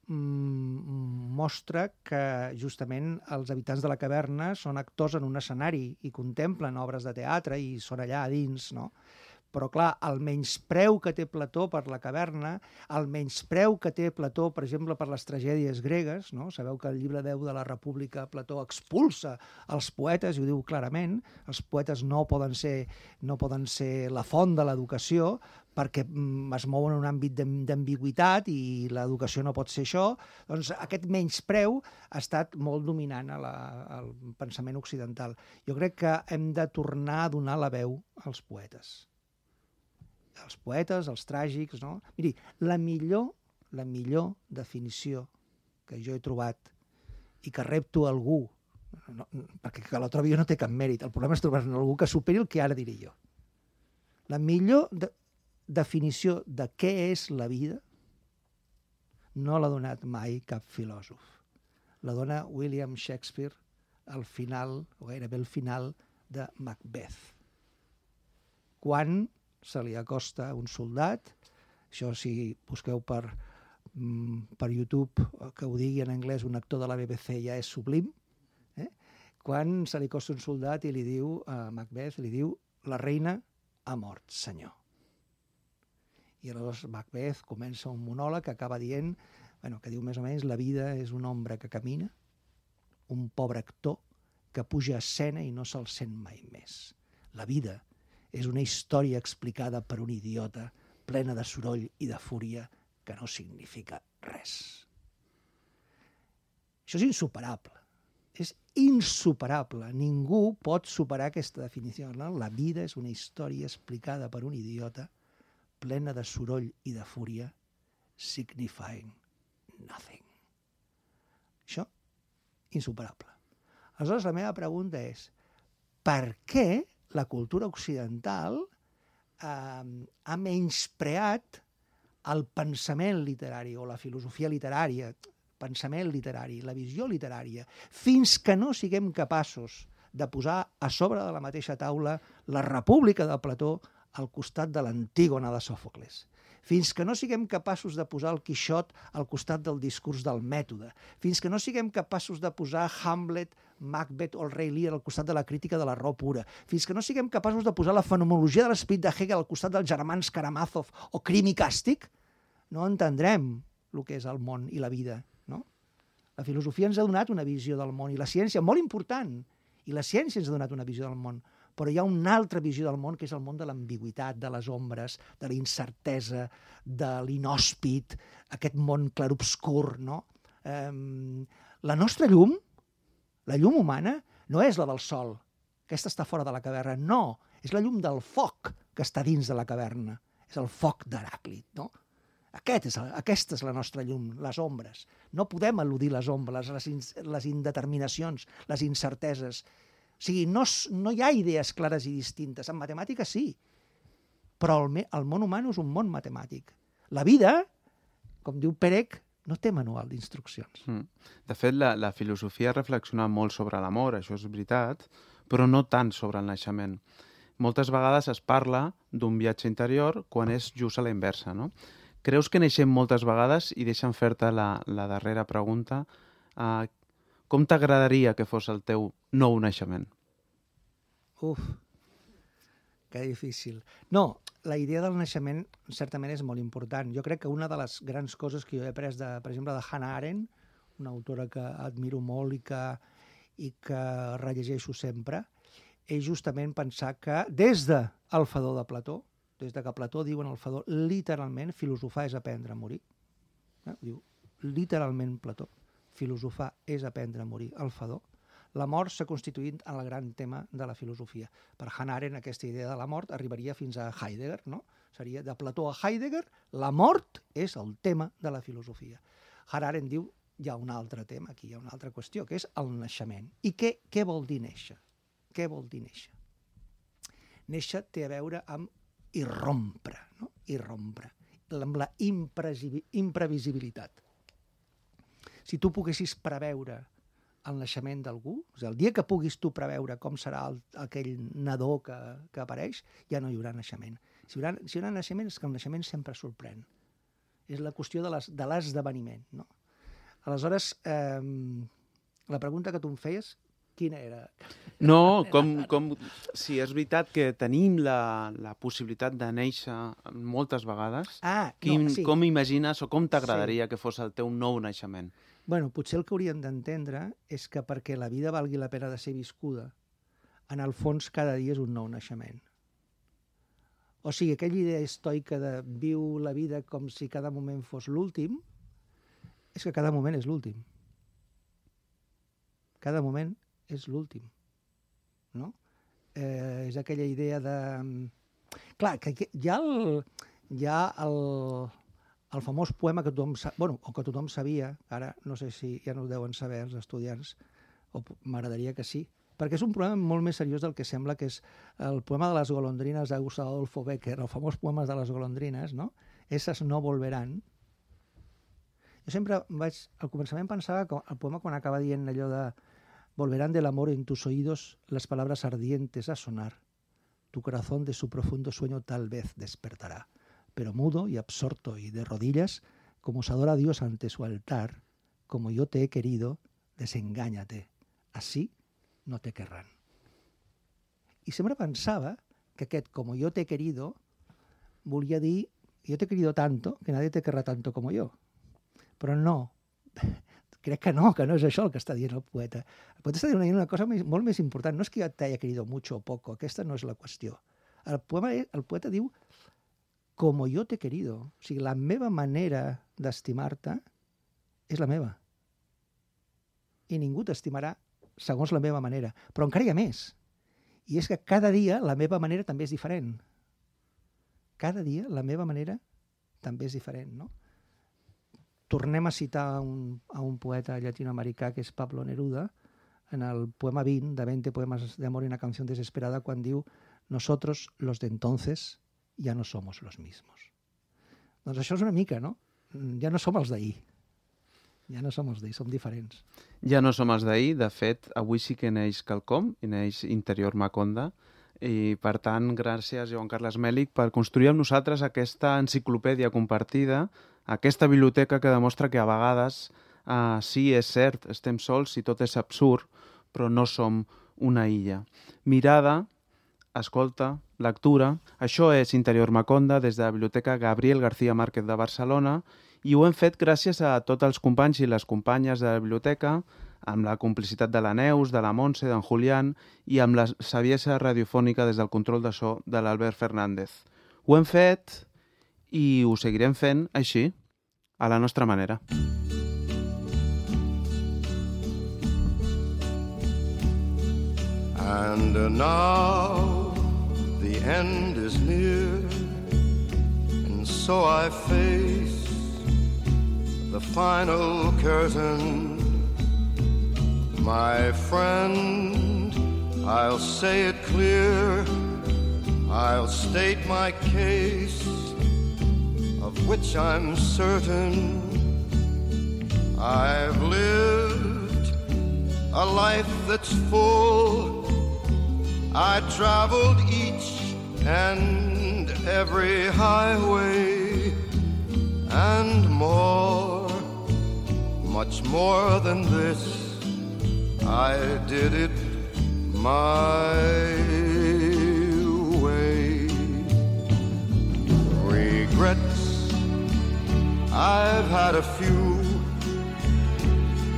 mm, mostra que, justament, els habitants de la caverna són actors en un escenari i contemplen obres de teatre i són allà a dins, no? Però, clar, el menyspreu que té Plató per la caverna, el menyspreu que té Plató, per exemple, per les tragèdies gregues, no? Sabeu que al llibre deu de la República Plató expulsa els poetes, i ho diu clarament, els poetes no poden ser, no poden ser la font de l'educació perquè mm, es mouen en un àmbit d'ambigüitat i l'educació no pot ser això. Doncs aquest menyspreu ha estat molt dominant a la, al pensament occidental. Jo crec que hem de tornar a donar la veu als poetes. Els poetes, els tràgics, no? Miri, la millor, la millor definició que jo he trobat i que repto a algú, no, perquè que la trobi jo no té cap mèrit, el problema és trobar-ne algú que superi el que ara diré jo. La millor de, definició de què és la vida no l'ha donat mai cap filòsof. La dona William Shakespeare al final, o gairebé al final, de Macbeth. Quan se li acosta un soldat, això si busqueu per, per YouTube, que ho digui en anglès un actor de la B B C ja és sublim, eh? Quan se li acosta un soldat i li diu a Macbeth, li diu, la reina ha mort, senyor. I aleshores Macbeth comença un monòleg que acaba dient, bueno, que diu més o menys, la vida és un home que camina, un pobre actor que puja a escena i no se'l sent mai més. La vida és una història explicada per un idiota, plena de soroll i de fúria, que no significa res. Això és insuperable. És insuperable. Ningú pot superar aquesta definició. No? La vida és una història explicada per un idiota, plena de soroll i de fúria, signifying nothing. Això, insuperable. Aleshores, la meva pregunta és, per què la cultura occidental eh, ha menyspreat el pensament literari o la filosofia literària, pensament literari, la visió literària, fins que no siguem capaços de posar a sobre de la mateixa taula la República de Plató al costat de l'Antígona de Sòfocles. Fins que no siguem capaços de posar el Quixot al costat del discurs del mètode, fins que no siguem capaços de posar Hamlet, Macbeth o el rei Lear al costat de la crítica de la raó pura, fins que no siguem capaços de posar la fenomenologia de l'esperit de Hegel al costat dels germans Karamazov o Crim i Càstig, no entendrem el que és el món i la vida. No? La filosofia ens ha donat una visió del món i la ciència, molt important, i la ciència ens ha donat una visió del món, però hi ha una altra visió del món que és el món de l'ambigüitat, de les ombres, de la incertesa, de l'inhòspit, aquest món clarobscur, no? Eh, la nostra llum, la llum humana, no és la del sol, aquesta està fora de la caverna, no, és la llum del foc que està dins de la caverna, és el foc d'Heràclit, no? Aquest és, aquesta és la nostra llum, les ombres. No podem eludir les ombres, les, in, les indeterminacions, les incerteses. O sigui, no, no hi ha idees clares i distintes. En matemàtica sí, però el, el món humà és un món matemàtic. La vida, com diu Perec, no té manual d'instruccions. Mm. De fet, la, la filosofia ha reflexionat molt sobre l'amor, això és veritat, però no tant sobre el naixement. Moltes vegades es parla d'un viatge interior quan és just a la inversa, no? Creus que neixem moltes vegades, i deixa'm fer-te la, la darrera pregunta, uh, com t'agradaria que fos el teu nou naixement? Uf, que difícil. No, la idea del naixement certament és molt important. Jo crec que una de les grans coses que jo he après, de, per exemple, de Hannah Arendt, una autora que admiro molt i que, i que rellegeixo sempre, és justament pensar que des del Fedó de Plató, des de que Plató diu en el Fedó, literalment, filosofar és aprendre a morir. Eh? Diu, literalment Plató, filosofar és aprendre a morir. El Fedó, la mort s'ha constituït en el gran tema de la filosofia. Per Hannah Arendt, aquesta idea de la mort arribaria fins a Heidegger, no? Seria de Plató a Heidegger, la mort és el tema de la filosofia. Hannah Arendt diu, hi ha un altre tema aquí, hi ha una altra qüestió, que és el naixement. I què, què vol dir néixer? Què vol dir néixer? Néixer té a veure amb irrompre, no? Irrompre, amb la imprevisibilitat. Si tu poguessis preveure el naixement d'algú, o sigui, el dia que puguis tu preveure com serà el, aquell nadó que, que apareix, ja no hi haurà naixement. Si hi haurà, si hi haurà naixement és que el naixement sempre sorprèn. És la qüestió de l'esdeveniment, no? Aleshores, eh, la pregunta que tu em feies, quina era? No, com, com si és veritat que tenim la, la possibilitat de néixer moltes vegades, ah, quin, no, sí. com imagines o com t'agradaria sí. que fos el teu nou naixement? Bueno, potser el que hauríem d'entendre és que perquè la vida valgui la pena de ser viscuda, en el fons cada dia és un nou naixement. O sigui, aquella idea estoica de viu la vida com si cada moment fos l'últim, és que cada moment és l'últim. Cada moment és l'últim, no? Eh, és aquella idea de... Clar, que hi ha el, hi ha el, el famós poema que tothom, bueno, o que tothom sabia, ara no sé si ja no ho deuen saber els estudiants, o m'agradaria que sí, perquè és un problema molt més seriós del que sembla, que és el poema de les golondrines de Gustavo Adolfo Bécquer, el famós poema de les golondrines, no? Esas no volverán. Jo sempre vaig, al començament pensava que el poema quan acaba dient allò de volverán del amor en tus oídos las palabras ardientes a sonar, tu corazón de su profundo sueño tal vez despertará, pero mudo y absorto y de rodillas, como se adora a Dios ante su altar, como yo te he querido, desengáñate, así no te querrán. I sempre pensava que aquest como yo te he querido volia dir yo te he querido tanto que nadie te querrá tanto como yo. Però no, crec que no, que no és això el que està dient el poeta. El poeta està dient una cosa més, molt més important. No és que jo t'haya querido mucho o poco, aquesta no és la qüestió. El, poema, el poeta diu como yo te he querido. O sigui, la meva manera d'estimar-te és la meva. I ningú t'estimarà segons la meva manera. Però encara hi ha més. I és que cada dia la meva manera també és diferent. Cada dia la meva manera també és diferent, no? Tornem a citar un, a un poeta llatinoamericà que és Pablo Neruda, en el poema vint, de veinte poemas de amor y una canción desesperada, quan diu nosotros, los de entonces, ya no somos los mismos. Doncs això és una mica, no? Ja no som els d'ahir. Ja no som els d'ahir, som diferents. Ja no som els d'ahir. De fet, avui sí que neix quelcom, i neix Interior Maconda, i per tant, gràcies Joan Carles Mèlich per construir amb nosaltres aquesta enciclopèdia compartida, aquesta biblioteca que demostra que a vegades uh, sí, és cert, estem sols i tot és absurd, però no som una illa. Mirada, escolta, lectura, això és Interior Maconda des de la Biblioteca Gabriel García Márquez de Barcelona i ho hem fet gràcies a tots els companys i les companyes de la biblioteca, amb la complicitat de la Neus, de la Montse, d'en Julián i amb la saviesa radiofònica des del control de so de l'Albert Fernández. Ho hem fet i ho seguirem fent així, a la nostra manera. And now the end is near, and so I face the final curtain. My friend, I'll say it clear, I'll state my case, of which I'm certain. I've lived a life that's full, I traveled each and every highway, and more, much more than this, I did it my way. Regrets, I've had a few,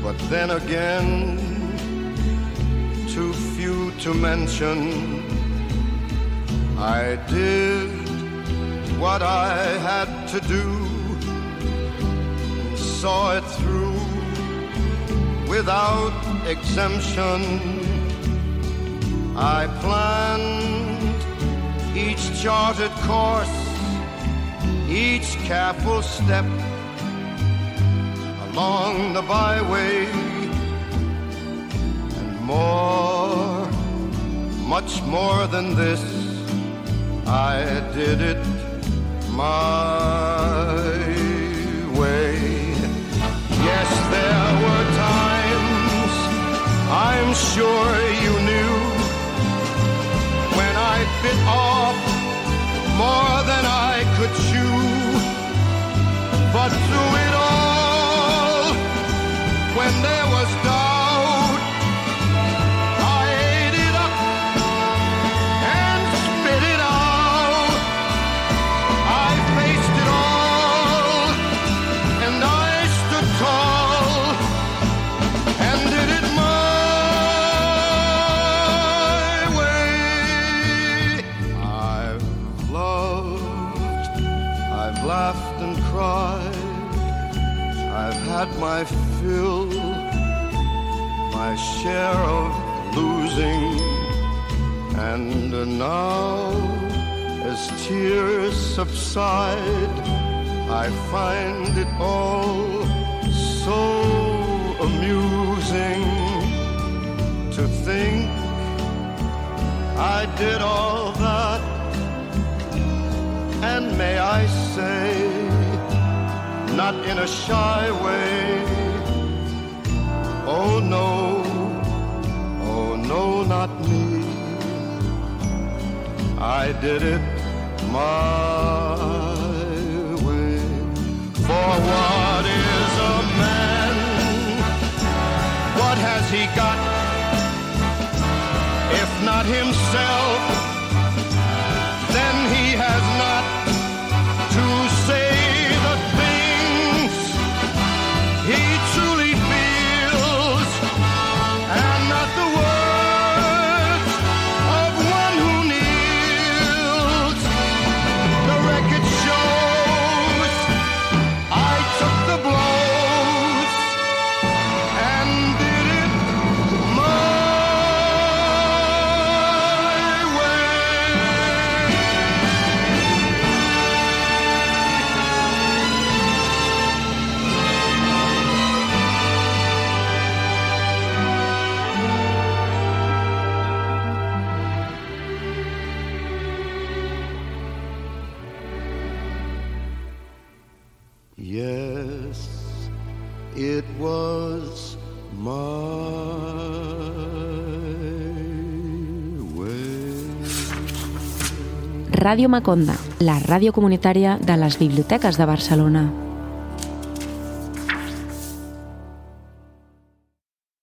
but then again, too few to mention. I did what I had to do, and saw it through without exemption. I planned each charted course, each careful step along the byway, and more, much more than this, I did it my way. Yes, there were times, I'm sure you knew, when I bit off more than I could chew. But through it all, when there was doubt, I ate it up and spit it out. I faced it all, and I stood tall and did it my way. I've loved, I've laughed and cried, I've had my fill, my share of losing, and now, as tears subside, I find it all so amusing to think I did all that, and may I say, not in a shy way, oh no, oh no, not me, I did it my way. For what is a man? What has he got, if not himself? Then he has not to say the things he truly feels, and not the words of one who kneels. The record shows I took the blows and did it my yes, it was my way. Ràdio Maconda, la ràdio comunitària de les biblioteques de Barcelona.